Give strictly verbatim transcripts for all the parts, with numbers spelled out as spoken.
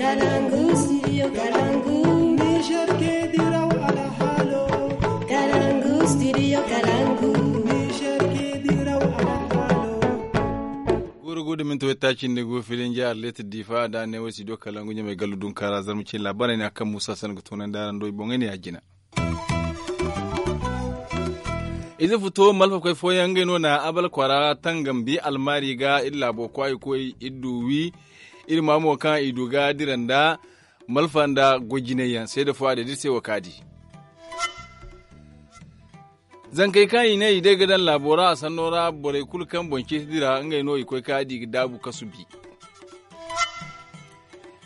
Kalangu studio kalangu. Niger ke diraw alhalo. Kalangu studio kalangu. Niger ke diraw alhalo. Guuru guuru minti wayta cindi gu filin jihar leetir difa da ne way studio kalangu ɲamay gallu dunkaara zarma cin laabaarey ne a kaŋ muusa sanda ga toonandi araŋ do i boŋey ne ya jina. Ize futo malfakoy fooyaŋ ngey no na abal kwaara tangam bi almaari ga iri laabo kwaayi koy iri du wi. Iri ma mo kaŋ i du ga dira nda malfa nda goy jinay yaŋ seeda fo a day da iri se wo kaŋ a di. Zankey kaŋ i ne i day ga daŋ laabo ra a sanno ra borey kulu kaŋ boŋ ceeti dira ngey no i koy kaŋ a di ga daabu kasu bi.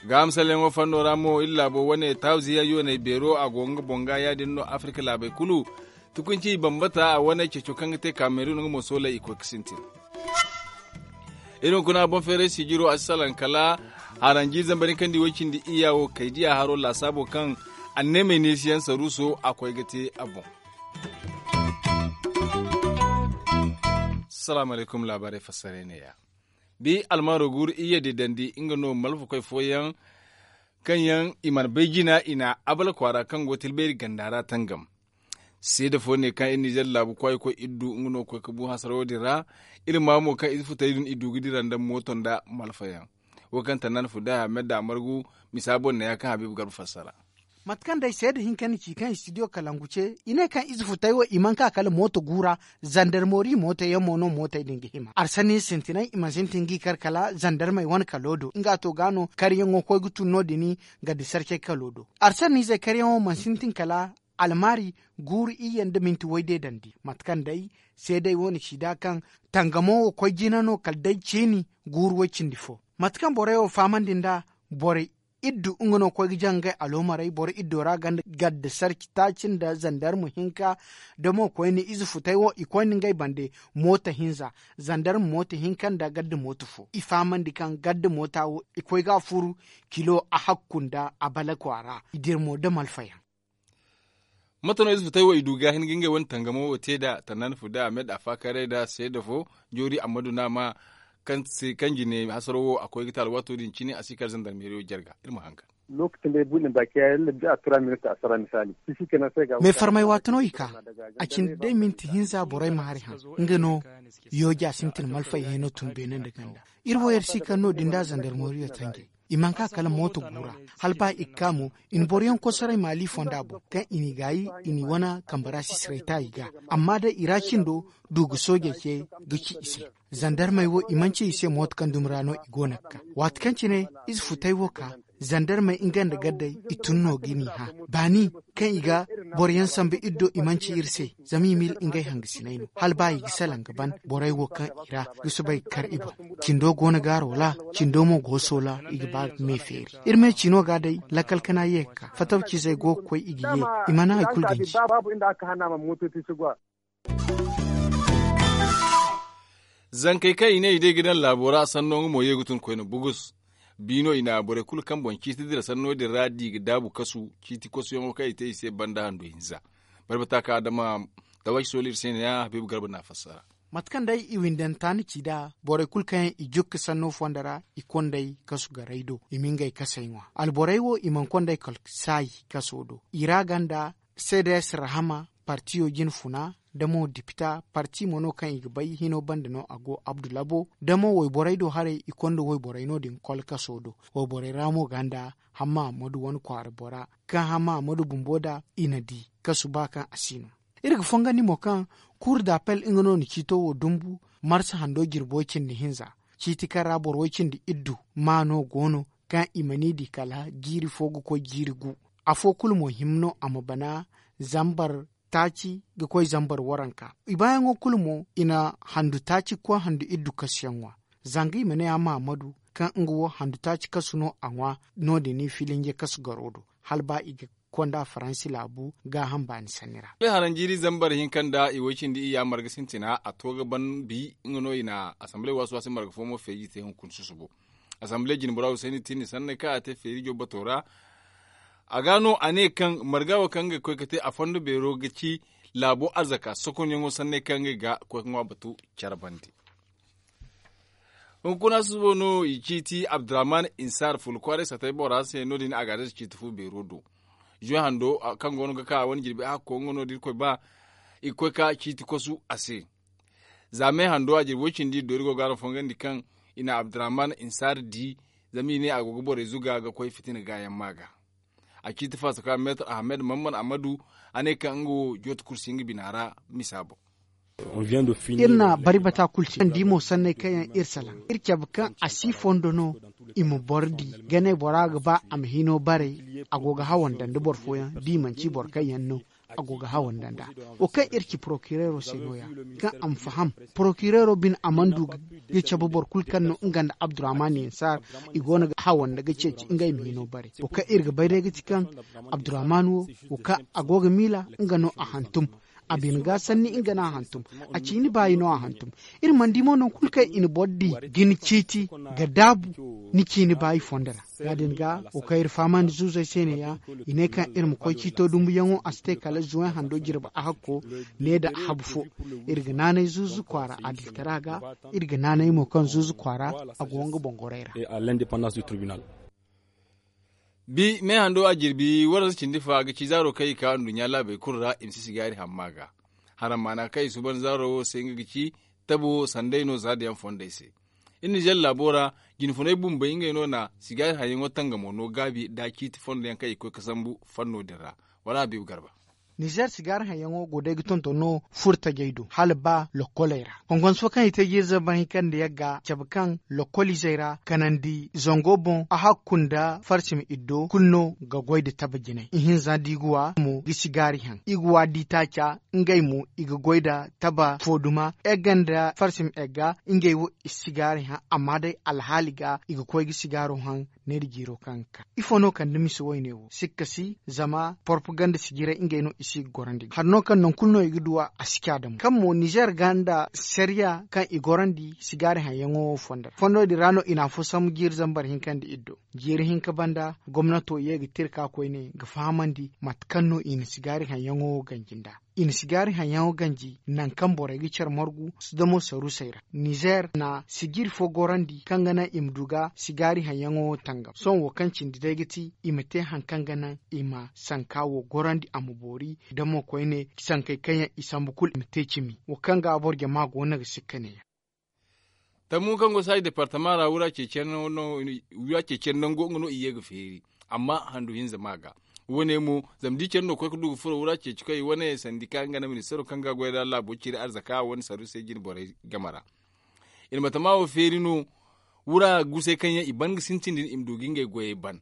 Gaaham salleŋo fanno ra mo iri laabo wane taaziya yooney beero a go nga boŋ ga ya- din no afirka laabey kulu. Tukunci i bambata a wane ceeco kaŋ ga te kaamerun nga mo sooley i koy ga sintin. Iri hunkuna boŋ feeray sijiro a si salaŋ kala haranji zambar hinka nda i way cindi iyya wo kay diya haro laasaabo kaŋ anneemey neesiyaŋ saruuso a koy ga te a boŋ. Salaamu alaykum laabaarey fassaray ne ya. Bi almaaro guuru iyye di dandi nga no malfakoy fooyaŋ kaŋ yaŋ i mana bay jina i na abala kwaara kaŋ go tilbayri ganda ra tangam. Seeda fo ne kaŋ iri nizer laabu kwaayi koy iri du nga no ga koy ga bu hasarawo din ra. Iri ma mo kaŋ ize futay din i du ga dira nda mooto nda malfayaŋ. Wo kaŋ tannaan fuda ahmed da a margu misa boŋ ne ya kaŋ habiibu garba fassara. Mate kaŋ day seeda hinka ni ci kaŋ istidiyo kalangu ce i ne kaŋ ize futay wo i mana ka kala mooto guura. Zandarmori mooto yaŋ mo no mootey din ga hima arsanni sintinay i mana sintin g'i kar kala zandarmey wane kalo do nga to ga no karyaŋo koy ga tun no- din. Ga di sarcey kalo do arsanniizey karyaŋo mana sintin kala almaari guuru iyye nda minti wayde dandi mate kaŋ day seeday wo na ci da kaŋ tangamo wo koy jina no kala day ciini guuru way cindi fo. Mate kaŋ borey wo fahamandi nd'a borey iddu nga no koy ga jaŋ ngey aloomarey boro iddo ra ganda gadda sarci taaci nda zandarma hinka. Da mo koyne ize futay wo i koyne ngey bande mooto hinza zandarma mooto hinka nda gadda mooto fo i fahamandi kaŋ gadda moota wo i koy ga a furu kilo a hakku nda a bala kwaara i dir mo da malfayaŋ. Mate no ize futay wo i du ga hin ga ngey wane tangamo wo te nd'a tannaani fo da ahmed a faakaray nd'a seeda fo joori ammadu no a ma kaŋ se kaŋ jine hasaro wo a koy ga te alwaato din cine a si kar zandarmeeriyo jarga iri ma hangan. Lokaci day bu ne baki ya yalla da a tura minit a sara misali. Meefarmay waati no i ka a cindi day minti hinza borey ma hari haŋ nga no yooja sintin malfay hino tun beene nda ganda. Iri wo yar si kaŋ no- din da zandarmoriyo tanjay i mana ka kala mooto guura hala ba i ga ka mo i na boroyaŋ kosoray maali fonda boŋ kaŋ i n'i gaayi i n'i wane kambara sisiray taayi ga. Amma day i ra cindo du ga soojey ce ga ci i se. Zandarmey wo i mana ci i se mooto kaŋ dumi ra no i go no ga ka waati kaŋ cine ize futay wo ka zandarmey nga nda gaddey i tun no ga n'i hã baani kaŋ i ga boroyaŋ sambu iri do i mana ci iri se. Zama i ma iri ngey hangasinay no hala ba i ga salaŋ ga ban borey wo kaŋ i ra ga soobay ga kar i boŋ. Cindo go no gaaro ra cindo mo go soola i ga ba ga me feeri. Iri me ciino ga day lakkal kana ye ga ka fattaw ciizey go ga koy i ga ye i mana hari kulu ganji. Zankey kaŋ i ne i day ga daŋ laabo ra sanno nga mo ye ga tun koyne bugus. Bi no i na borey kulu kaŋ boŋ ciiti dira sanno din ra di ga daabu kasu ciiti kosuyaŋo kaŋ i te i se banda handu hinza. Barbata kaŋ adama tawaci sooli iri se ne ya habiibu garba na a fassara. Mate kaŋ day i windanta ni ci nd'a borey kulu kaŋ yaŋ i jukka sanno fonda ra i kondey kasu garay do i ma ngey kasey ŋwa alborey wo i mana kondey kal saayi kaso do i ra ganda seedes rahama partiyo jine funa da mo dipita parti mo no kaŋ i ga bay hino banda no a go abdu labo da mo wayborey do haray i konda wayborey no- din kol kaso do. Wayborey ra mo ganda hamma ammadu wane kwaara bora kaŋ hamma ammadu bumbo da i na di kasu ba kaŋ a si no. Iri ga fongandi mo kaŋ kuur da appel nga no na ciito wo dumbu marsa hando jirbo cindi hinza ciiti kaŋ ra boro way cindi iddu maano go no kaŋ i ma ni di kala jiiri fo ga koy jiiri gu. Afo kulu mo hima no a ma bana zambar taaci ga koy zambar waranka. I baayaŋo kulu mo i na handu taaci ga koy handu iddu kasuyaŋ ŋwa. Zanga i ma ne a mahamadu kaŋ nga wo handu taaci kasu no a ŋwa. No- din i filinje kasu garo do hala ba i ga konda faransi laabu gaaham baani sanni ra. Haranjiiri zambar hinka nda i way cindi iyya marga sintina a to ga ban bi nga no i na asamble waasi waasi marga fo mo feeji te hunkuna susubo. Asamble jinbura husayni tini sanney kaŋ a te feerijo bato ra. A ga no a ne kaŋ marga wo kaŋ ga koy ga te a fondo beero ga ci laabo arzaka sokonyaŋo sanney kaŋ ga koy ga ŋwa batu care bande. Hunkuna susubo no i ciiti abdurrahman insar fulu kwaaray satay bora se no- din a ga a day ciiti fu beero do. Zuwe hando kaŋ go no ga ka a wane jirbi a hakko nga no da irkoy ba i ga koy ka ciiti kosu a se. Za me hando a jirbi way- cindi iddo iri go ga araŋ fongandi kaŋ i na abdurrahman insar di, zama i ne a go ga borey zuga ga koy fitina gaayaŋ ma ga. A ciiti faso ka meetar ahmed mamman amadu a ne kaŋ nga wo jooti kursi nga bina ra misa boŋ. Iri na bari bata kulu ci kaŋ di mo sanney kaŋ yaŋ iri salaŋ iri cabe kaŋ a si fondo no. I ma boro di ganey bora ga ba a ma hino baray. A go ga hawanda nda boro fooyaŋ da i manci boro kaŋ yaŋ no a go ga hawanda nd'a. Wo kaŋ iri ci porokireero se no- ya kaŋ a ma faham porokireero bine a mana du ga cabe boro kulu kaŋ no nga nda abdurrahman yansar i go no ga hawanda ga ceeci ngey ma hino baray. Wo kaŋ iri ga bay day ga ti kaŋ abdurrahman wo wo kaŋ a go ga miila nga no a hantum. A bine ga sanni nga no a hantum. A ciini baayi no a hantum. Iri mana di mo nangu kulu kaŋ i na boro di ga ni ciiti ga daabu ni ciini baayi fondo ra. Ya- din ga wo kaŋ iri fahamandi zuuzey se ne- ya i ne kaŋ iri ma koy ciito dumbuyaŋo a si te kala zuway hando jirbi a hakko. Ne nda a habu fo iri ga naanay zuuzu kwaara adiltara ga. Iri ga naanay mo kaŋ zuuzu kwaara a go nga boŋ gorey ra. Bi me hando a jirbi waransa cindi fa ga ci zaaro kaŋ i ka nduɲɲa laabey kulu ra i ma si sigaari hamma ga. Haram maana kaŋ i suuban zaaro wo se nga ga ci tabo sanday no za da yaŋ fondey se. Iri nizer laabo ra jinfunay bumbey ngey no na sigaari haŋyaŋo tangamo no gaabi nda ciiti fondo yaŋ kaŋ i ga koy ga sambu fanno din ra. Wala habiibu garba. Nizer sigaari haŋyaŋo go day ga tonton no furo tajey do hala ba lokkoley ra. Konkonso kaŋ i te ga iri zambar hinka nda yagga cabe kaŋ lokkol izey ra kanandi zango boŋ a hakku nda farsima iddo kulu no ga goy nda taba jinay ihinza da i ga wa mo ga sigaari haŋ i ga wa da i taaca. Ngey mo i ga goy nda taba fo duma egga nda farsima egga ngey wo i si sigaari haŋ amma day alhaali ga i ga koy ga sigaaro haŋ. Neera jiiro kaŋ ga ka ifo no kande mise wayne wo sikka si zama porpaganda si jiray ngey no i si ga gorandi ga hari no kaŋ nangu kulu no i ga duw'a a si ca damo kaŋ mo nizer ga nda sariya kaŋ i gorandi sigaari haŋyaŋo fondo ra fondo din ra no i na afo sambu jiiri zambar hinka nda iddo. Jiiri hinka banda gomnato ye ga te iri ka koyne ga fahamandi mate kaŋ no i na sigaari haŋyaŋo ganji nd'a. I na sigaari haŋyaŋo ganji nangu kaŋ borey ga care margu damo sarusey ra. Nizer na sijiiri fo gorandi kaŋ ga naŋ i ma du ga sigaari haŋyaŋo tangam sohõ wo kaŋ cindi day ga ti i ma te hari kaŋ ga naŋ i ma sanka wo gorandi a ma boori. Damo koyne sankey kaŋ yaŋ i sambu kulu i ma te cimi wo kaŋ ga boro jama go no ga sikka ne-ya. Tammu kaŋ go saaji departama ra wura ceeciyaŋ nango nga no i ye ga feeri amma handu hinza ma ga. Wo- ne mo zama da i care no ga koy ga du ga furo wura ceeci koy wane sandika nga nda ministaro kaŋ ga goy nda laabo ciri arzaka wane sarru se jine borey game ra. I na batama wo feeri no wura gusay kaŋ yaŋ i ban ga sintin din i ma du ga ngey goyey ban.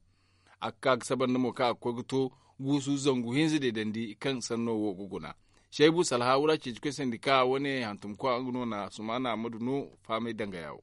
A ga ka ga sabar nda mo kaŋ a ga koy ga to guusu zangu hinza deedandi kaŋ sanno wo ga guna. Seebu salha wura ceeci koy sandika wane hantumkwa nga no na sumaana ammadu no faamay dangaya wo.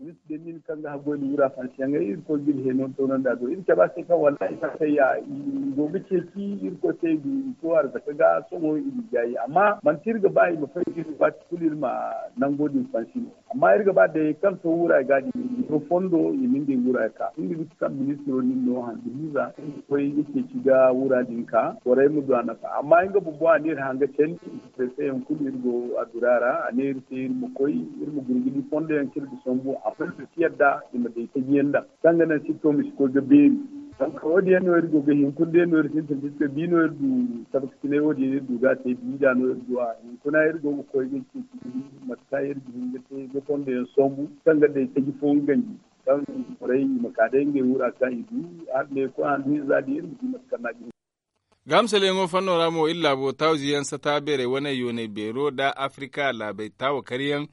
Ministir de mil kaŋ ga haggoy nda wura fansiyaŋey iri koy ga iri heenon toonandi a do iri cabe a se kaŋ wallaahi fansayya i go ga ceeci iri koy se i du i to arzaka ga sohõ i ga i gaayi amma manti iri ga ba i ma fay ga iri waati kulu iri ma nango din fansi no. Amma iri ga ba day kaŋ to wura ga din i ma fondo i ma ngey wura ka nga ga ti kaŋ ministiro nin no handu hinza iri ma koy ga ceeci ga wura din ka borey ma du a nafa amma nga bumbo a ne iri hanga candi. Prefe yaŋ kulu iri go a dura ra a ne iri se iri ma koy iri ma gurgudi fondo yaŋ kaŋ iri ga sambu a fondo si yadda i ma day taji yaŋ daŋ kaŋ ga naŋ sitto ma si koy ga beeri. Donk wo- din yaŋ no iri go ga hin kulu day no iri sintin da iri te bi no iri du. Tabakasinay wo- din iri du ga a te bi da no iri du a hinkuna iri go ga koy ga ceeci mate kaŋ iri ga hin ga te ga fondo yaŋ sambu kaŋ ga day taji fo nga ganji kaŋ borey i ma ka day ngey wura kaŋ i du. Hala ne koy handu hinza din iri ma di mate kaŋ no a ga hin. Gaamsalyaŋo fanno ra mo iri laabo tawziyaŋ sata beerey wane yoonay beero nda afirika laabey taawakaryaŋ.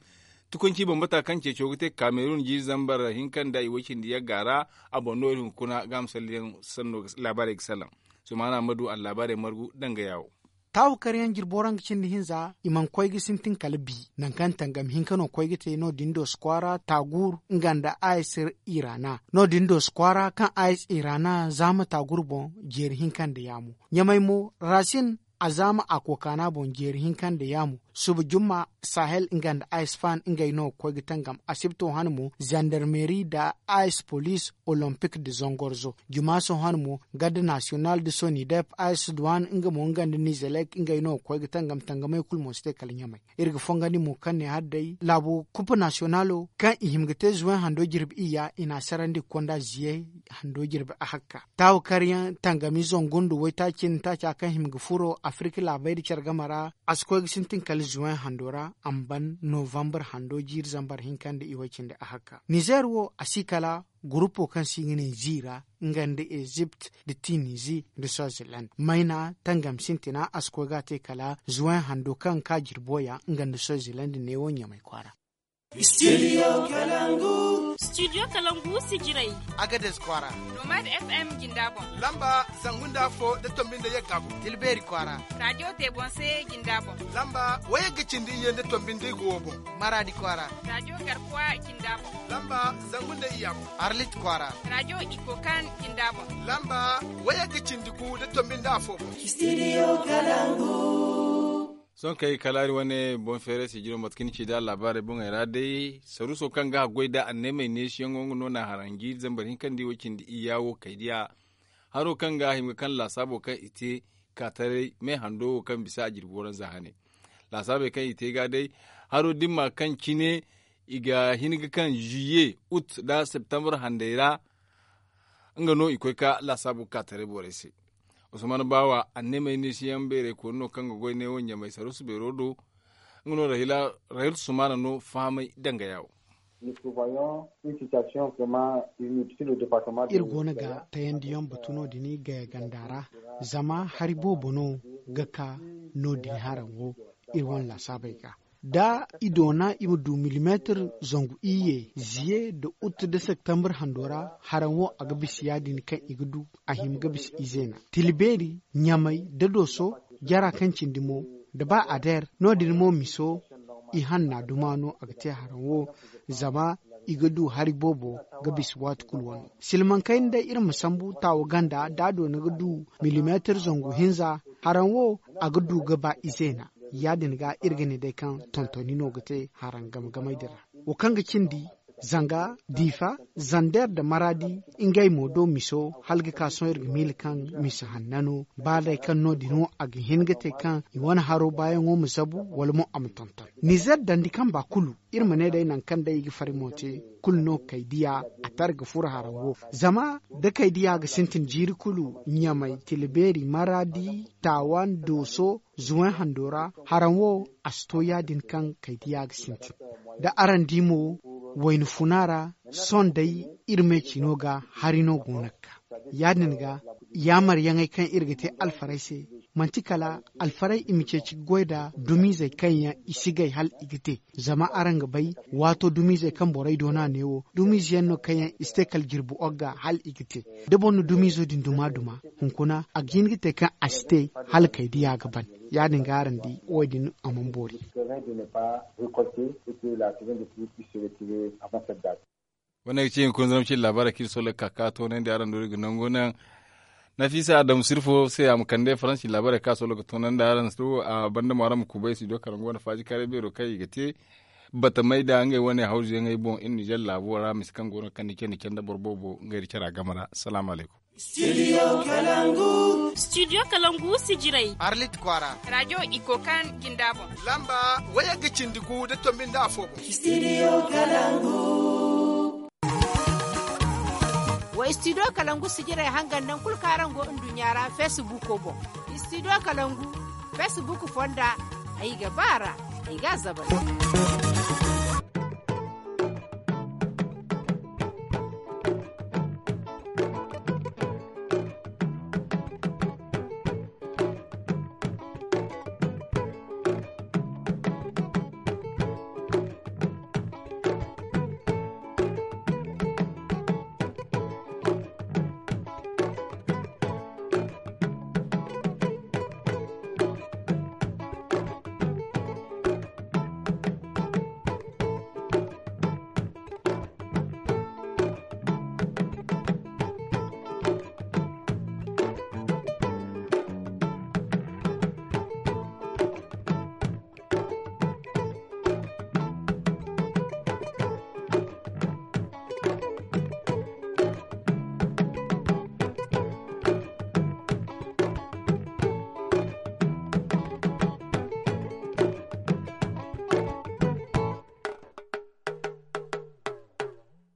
Tukunci bambata kaŋ ceeco ga te kamerun jiiri zambar hinka nda i way cindi yagga ra. A boŋ no iri hunkuna gaamsalyaŋ sanno laabaarey ga salaŋ. Sumaana ma du allaabaarey margu dangaya wo. Taawakaryaŋ jirbo ra nga cindi hinza i mana koy ga sintin kala bi. Nangu kaŋ tangam hinka no koy ga te no- din dooso kwaara taaguur nga nda ayes irana no- din dooso kwaara kaŋ ayes irana zaama taaguur boŋ jeeri hinka nda yaamo. Ɲamay mo rasin a zaama a kookaana boŋ jeeri hinka nda yaamo. Suba jumma, sahel nga nda a s fan ngey no ga koy ga tangam. Asibto han mo, zandarmeri nda a s polis, olompik nda zangorzo. Jumaaso han mo, garda nasiyonal nda sonidep, a s duwan nga mo nga nda nizelek ngey no ga koy ga tangam. Tangamey kulu mo si te kala ɲamey. Iri ga fongandi mo kaŋ ne hari day laabo kupa nasiyonalo kaŋ i hima ga te zuway hando jirbi iyya, i n'a sarandi ga konda ziye hando jirbi ahakka. Taawa karyaŋ tangami zangu nda waytaaci nda taaca kaŋ hima ga furo afirika laabey nda care game ra. A si koy ga sintin kala zuway hando ra a ma ban novambar hando jiiri zambar hinka nda iway cindi ahakka. Nizer wo a si kala gurupo kaŋ se i ga ne ziira nga nda ezipt nda tinizi nda swaziland mayna tangam sintina a si koy ga a te kala zuway hando kaŋ ga ka jirbo ya nga nda swaziland neewo ɲamay kwaara. Studio kalangu si jiray. Agades kwaara. Nomad f m jinda boŋ. Lamba zangu nda afo nda tombi nda yagga boŋ. Tilbeeri kwaara. Radio tebonse jinda boŋ. Lamba wayagga cindi iyye nda tombi nda igo wo boŋ. Maradi kwaara. Radio garkuwa jinda boŋ. Lamba zangu nda iyya boŋ. Arlit kwaara. Radio ikokan jinda boŋ. Lamba wayagga cindi gu nda tombi nda afo boŋ. Sohõ kay kala iri wane boŋ feeray si jiro mate kaŋ ni ci nd'a laabaarey boŋey ra day saruuso kaŋ ga haggoy nd'a anneemey neesiyaŋo nga no n'a haranji zambar hinka nda i way cindi iyya wo kaydiya. Haro kaŋ ga hima ga kaŋ laasaabo kaŋ i te kaataray me hando wo kaŋ bisa a jirbi waranza hane. Laasaabey kaŋ i te ga day haro dimma kaŋ cine i ga hin ga kaŋ ziye ut nda septembre handey ra. Nga no i koy ka laasaabu ga ka taray borey se. Usman baawa anneemey neesiyaŋ beerey kooni no kaŋ ga goy neewo ɲamay saruusu beero do. Nga no rahila rahil sumana no fahamay danga yaawo. Iri go no ga tayandiyaŋ batu no- din gaya ganda ra. Zama hari boobo no ga ka no- din haraŋ wo iri wane laasaabey ga. Da i doona i ma du milimeetir zangu iyye ziye nda ut nda septembre hando ra. Haraŋ wo a ga bisa ya- din kaŋ i ga du a hima ga bisa izeena tila beeri ɲamay nda dooso jara kaŋ cindi mo nda ba adeer no- din mo miso. I hanna duma no a ga te haraŋ wo zama i ga du hari boobo ga bisa waati kulu wano. Silmaŋ kayna day iri ma sambu taawa ganda da a doona ga du milimeetir zangu hinza. Haraŋ wo a ga du ga ba izeena. Ya- din ga iri ga ne day kaŋ tontoni no ga te haraŋ game gamey din ra. Wo kaŋ ga cindi zanga diifa zander nda maraadi ngey mo do miso hala ga ka sohõ iri ga miila kaŋ misa hanna no. Ba day kaŋ no- din wo a ga hin ga te kaŋ i wane haro baayaŋo ma zabu wala mo a ma tonton nizer dandi kamba kulu. Iri ma ne day nangu kaŋ day i ga fari mo te kulu no kay diya a tara ga furo haraŋ wo. Zama da kay diya ga sintin jiiri kulu ɲamay tila beeri maraadi taawan dooso zuway hando ra. Haraŋ wo a si to ya- din kaŋ kay diya ga sintin da araŋ di mo wayna funa ra. Sohõ day iri me ciino ga hari no go no ga ka ya- din ga yaamaryaŋey kaŋ iri ga te alfarey se manti kala alfarey i ma ceeci ga goy nda dumiizey kaŋ yaŋ i si gay hala i ga te. Zama araŋ ga bay waato dumiizey kaŋ borey doona neewo dumiize yaŋ no kaŋ yaŋ i si te kala jirbi ogga hala i ga te. Da boro na dumiizo din duma duma hunkuna a ga hin ga te kaŋ a si te hala kay diya ga ban. Ya- din ga araŋ di wo- din a mana boori. Wane ga ci hunkuna zama ci laabaarey kaŋ iri sohõ ga ka ka toonandi araŋ do iri ga nangu naŋ. Nafiisa adamu sirfo se a ma kande faransi laabaarey kaŋ a sohõ ga toonandi araŋ se a banda mo araŋ ma kubay studio kalangu wane faaji kaaray beero kaŋ i ga te batamey nda ngey wane hawzuyaŋey boŋ iri nizer laabo ra mise kaŋ go no kaŋ ni ce ni canda boro boobo ngey nda cara game ra. Salaamu alaykum. Studio kalangu si jiray arlit kwaara. Radiyo iko kaŋ jinda boŋ lamba wayagga cindi gu nda tombi nda afo boŋ. Wa studio kalangu si jiray hangan naŋ kulu kaŋ araŋ go nduɲɲa ra facebook boŋ. Studio kalangu facebook fonda ay ga ba ra ay ga a zabari.